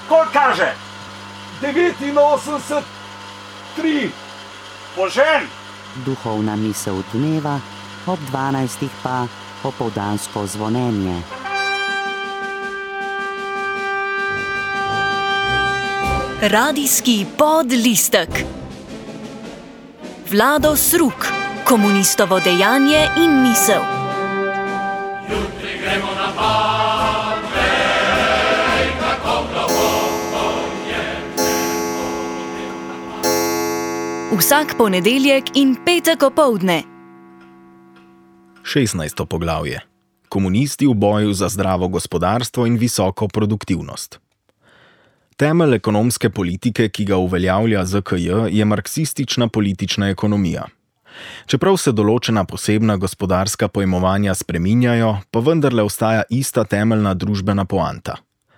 Koliko kaže? 89,3. Požen! Duhovna misel dneva, ob 12. pa popoldansko zvonjenje. Radijski podlistek. Vlado Sruk, komunistovo dejanje in misel. Jutri gremo na Parnej, kako globoko je Vsak ponedeljek in petek opoldne. 16. poglavje. Komunisti v boju za zdravo gospodarstvo in visoko produktivnost. Temelj ekonomske politike, ki ga uveljavlja ZKJ, je marksistična politična ekonomija. Čeprav se določena posebna gospodarska pojmovanja spreminjajo, pa vendarle ostaja ista temeljna družbena poanta.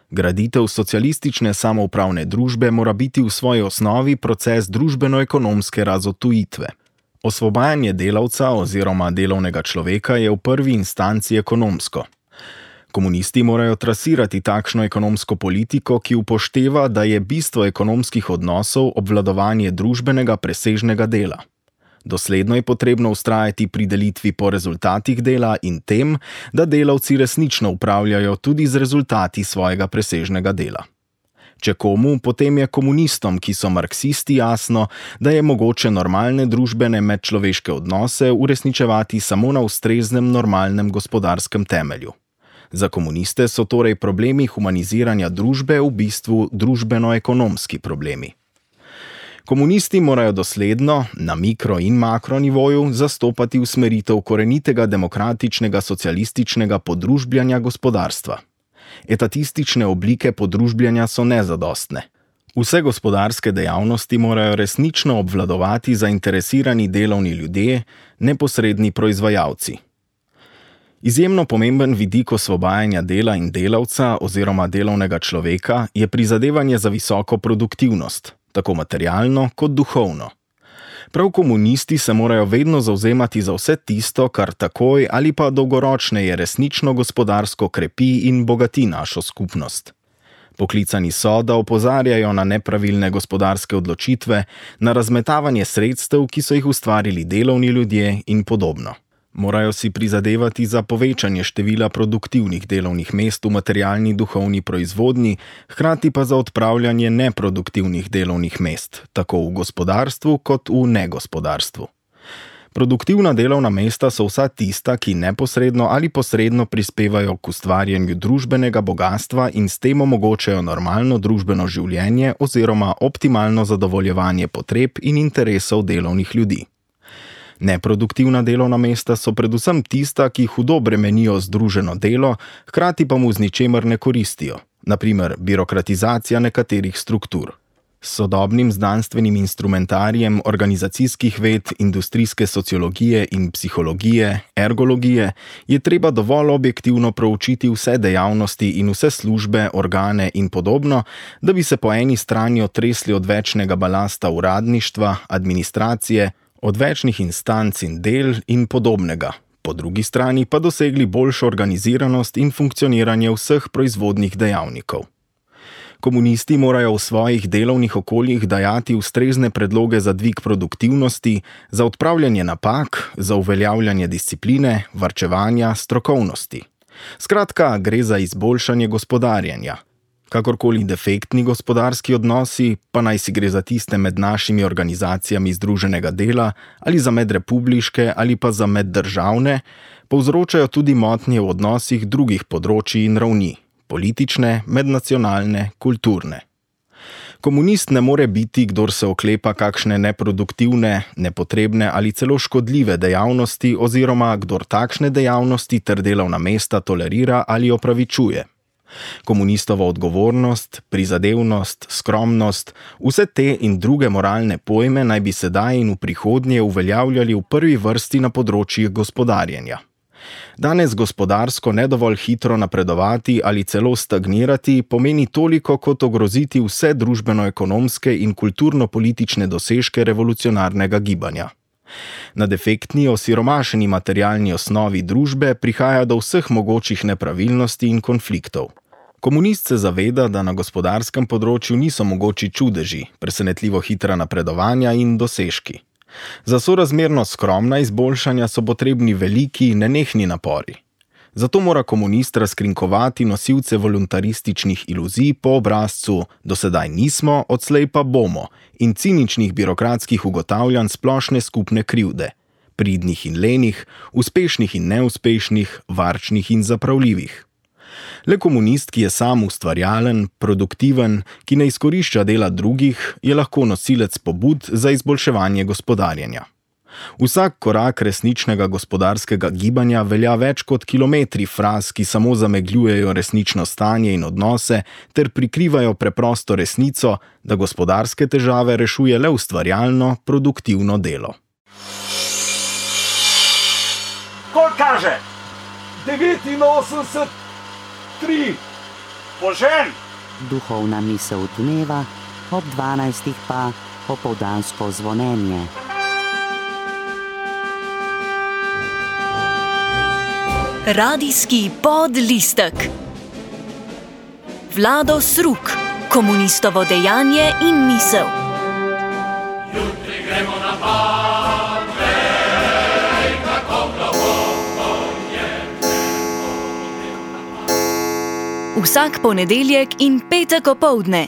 Graditev socialistične samoupravne družbe mora biti v svoji osnovi proces družbeno-ekonomske razotujitve. Osvobajanje delavca oziroma delovnega človeka je v prvi instanci ekonomsko. Komunisti morajo trasirati takšno ekonomsko politiko, ki upošteva, da je bistvo ekonomskih odnosov obvladovanje družbenega presežnega dela. Dosledno je potrebno vztrajati pri delitvi po rezultatih dela in tem, da delavci resnično upravljajo tudi z rezultati svojega presežnega dela. Če komu, potem je komunistom, ki so marksisti, jasno, da je mogoče normalne družbene medčloveške odnose uresničevati samo na ustreznem normalnem gospodarskem temelju. Za komuniste so torej problemi humaniziranja družbe v bistvu družbeno-ekonomski problemi. Komunisti morajo dosledno, na mikro- in makronivoju, zastopati usmeritev korenitega demokratičnega socialističnega podružbljanja gospodarstva. Etatistične oblike podružbljanja so nezadostne. Vse gospodarske dejavnosti morajo resnično obvladovati zainteresirani delovni ljudje, neposredni proizvajalci. Izjemno pomemben vidik osvobajanja dela in delavca oziroma delovnega človeka je prizadevanje za visoko produktivnost, tako materialno kot duhovno. Prav komunisti se morajo vedno zavzemati za vse tisto, kar takoj ali pa dolgoročneje resnično gospodarsko krepi in bogati našo skupnost. Poklicani so, da opozarjajo na nepravilne gospodarske odločitve, na razmetavanje sredstev, ki so jih ustvarili delovni ljudje in podobno. Morajo si prizadevati za povečanje števila produktivnih delovnih mest v materialni duhovni proizvodnji, hkrati pa za odpravljanje neproduktivnih delovnih mest, tako v gospodarstvu kot v negospodarstvu. Produktivna delovna mesta so vsa tista, ki neposredno ali posredno prispevajo k ustvarjanju družbenega bogastva in s tem omogočajo normalno družbeno življenje oziroma optimalno zadovoljevanje potreb in interesov delovnih ljudi. Neproduktivna delovna mesta so predvsem tista, ki hudo bremenijo združeno delo, hkrati pa mu z ničemer ne koristijo, na primer birokratizacija nekaterih struktur. S sodobnim znanstvenim instrumentarijem organizacijskih ved, industrijske sociologije in psihologije, ergologije, je treba dovolj objektivno proučiti vse dejavnosti in vse službe, organe in podobno, da bi se po eni strani otresli od večnega balasta uradništva, administracije, od večnih instanc in del in podobnega, po drugi strani pa dosegli boljšo organiziranost in funkcioniranje vseh proizvodnih dejavnikov. Komunisti morajo v svojih delovnih okoljih dajati ustrezne predloge za dvig produktivnosti, za odpravljanje napak, za uveljavljanje discipline, varčevanja, strokovnosti. Skratka, gre za izboljšanje gospodarjenja. Kakorkoli defektni gospodarski odnosi, pa naj si gre za tiste med našimi organizacijami združenega dela ali za medrepubliške ali pa za meddržavne, povzročajo tudi motnje v odnosih drugih področij in ravni, politične, mednacionalne, kulturne. Komunist ne more biti, kdor se oklepa kakšne neproduktivne, nepotrebne ali celo škodljive dejavnosti oziroma kdor takšne dejavnosti ter delovna mesta tolerira ali opravičuje. Komunistova odgovornost, prizadevnost, skromnost, vse te in druge moralne pojme naj bi sedaj in v prihodnje uveljavljali v prvi vrsti na področjih gospodarjenja. Danes gospodarsko ne dovolj hitro napredovati ali celo stagnirati pomeni toliko kot ogroziti vse družbeno-ekonomske in kulturno-politične dosežke revolucionarnega gibanja. Na defektni, osiromašeni materialni osnovi družbe prihaja do vseh mogočih nepravilnosti in konfliktov. Komunist se zaveda, da na gospodarskem področju niso mogoči čudeži, presenetljivo hitra napredovanja in dosežki. Za sorazmerno skromna izboljšanja so potrebni veliki, nenehni napori. Zato mora komunist razkrinkovati nosilce voluntarističnih iluzij po obrazcu "do sedaj nismo, odslej pa bomo" in ciničnih birokratskih ugotavljanj splošne skupne krivde, pridnih in lenih, uspešnih in neuspešnih, varčnih in zapravljivih. Le komunist, ki je sam ustvarjalen, produktiven, ki ne izkorišča dela drugih, je lahko nosilec pobud za izboljševanje gospodarjenja. Vsak korak resničnega gospodarskega gibanja velja več kot kilometri fraz, ki samo zamegljujejo resnično stanje in odnose ter prikrivajo preprosto resnico, da gospodarske težave rešuje le ustvarjalno, produktivno delo. Koliko kaže? 89, 3. Požen! Duhovna misel dneva, ob 12. pa popoldansko zvonjenje. Radijski podlistek. Vlado Sruk, komunistovo dejanje in misel. Jutri gremo na pad, vej, kako globoko je. Vsak ponedeljek in petek opoldne